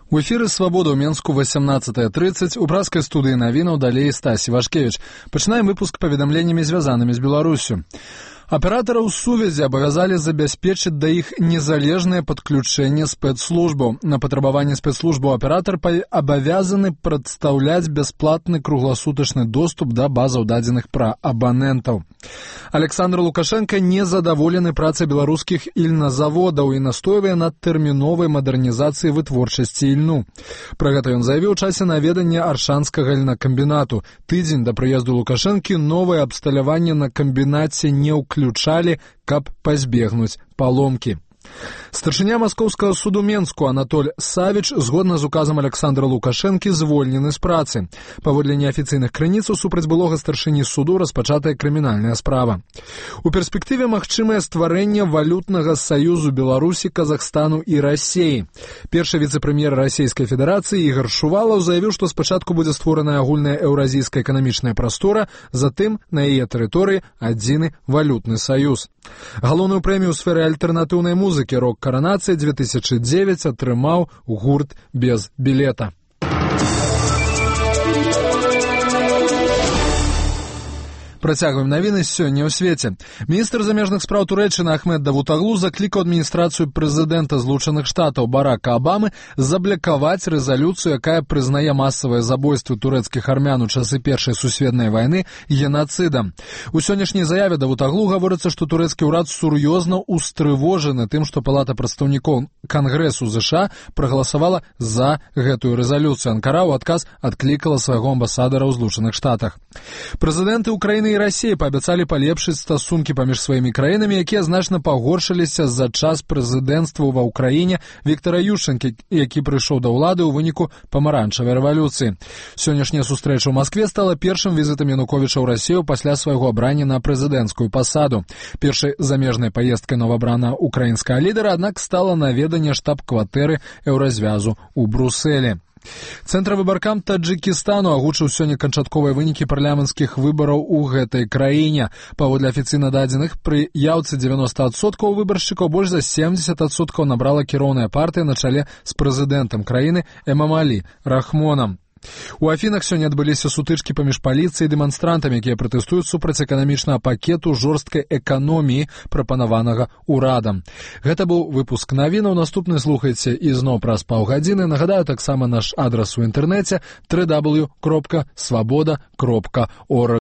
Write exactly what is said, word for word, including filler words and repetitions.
У эфіры «Свабода» ў Менску восемнадцатая тридцать, у пражскай студыі навінаў далей Стась Івашкевіч. Пачынаем выпуск паведамленнямі, звязанымі з Беларусю. Аператараў сувязі абавязалі забяспечыць да іх незалежнае падключэнне спецслужбаў. На патрабаванне спецслужбаў аператар абавязаны прадстаўляць бясплатны кругласутачны доступ да базаў дадзеных пра абанентаў. Александр Лукашенко незадаволены працай беларускіх ільназаводаў і настойвае над тэрміновай мадэрнізацыяй вытворчасці ільну. Пра гэта ён заявіў у часе наведання аршанскага ільнакамбінату. Тыдзень да прыезду Лукашэнкі новае абсталяванне на камбінаце не ўключалі, каб пазбегнуць паломкі. Старшыня Маскоўскага суду Менску Анатоль Савіч згодна з указам Александра Лукашэнкі звольнены з працы. Паводле неафіцыйных крыніц супраць былога старшыні суду распачатая крымінальная справа. У перспектыве магчымае стварэнне валютнага саюзу Беларусі, Казахстану і Расіі. Першы віцэ-прэм'ер Расійскай Федэрацыі Ігор Шувалаў заявіў, што спачатку будзе створаная агульная еўразійская эканамічная прастора, затым на яе тэрыторыі адзіны валютны саюз. Галоўную прэмію ў сферы альтэрнатыўнай музыкі «Рок-каранацыя» две тысячи девять атрымаў гурт без білета. Працягваем навіны сёння ў свеце. Міністр замежных спраў Турэччыны Ахмед Давутаглу заклікаў адміністрацыю прэзідэнта Злучаных Штатаў Барака Абамы заблакаваць рэзалюцыю, якая прызнае масавыя забойствы турэцкіх армян у часы Першай сусветнай вайны генацыдам. У сённяшняй заяве Давутаглу гаворыцца, што турэцкі ўрад сур'ёзна устрывожаны тым, што Палата прадстаўнікоў Кангрэсу ЗША прагаласавала за гэтую рэзалюцыю. Анкара ў адказ адклікала свайго амбасадара ў Злучаных Штатах. Прэзідэнты Украіны і Расіі паабяцалі палепшыць стасункі паміж сваімі краінамі, якія значна пагоршыліся за час прэзідэнцтва ва ўкраіне Віктара Ющэнкі, які прыйшоў да ўлады ў выніку памаранчавай рэвалюцыі. Сённяшняя сустрэча ў Маскве стала першым візітам Януковіча ў Расію пасля свайго абрання на прэзідэнцкую пасаду. Першай замежнай паездкай новабранага украінскага лідара, аднак, стала наведанне штаб-кватэры Еўразвязу ў Брусэлі. Цэнтр выбаркам Таджыкістану агучыў сёння канчатковыя вынікі парламенцкіх выбараў у гэтай краіне. Паводле афіцыйна дадзеных, пры яўцы дзевяноста адсоткаў выбаршчыкаў больш за семдзесят адсоткаў набрала кіроўная партыя на чале з прэзідэнтам краіны Эмамалі Рахмонам. У Афінах сёння адбыліся сутычкі паміж паліцыяй і дэманстрантамі, якія пратэстуюць супраць эканамічнага пакету жорсткай эканоміі, прапанаванага ўрадам. Гэта быў выпуск навінаў. Наступны слухайце ізноў праз паўгадзіны. Нагадаю таксама наш адрас у інтэрнэце дабл ю дабл ю дабл ю кропка свабода кропка орг.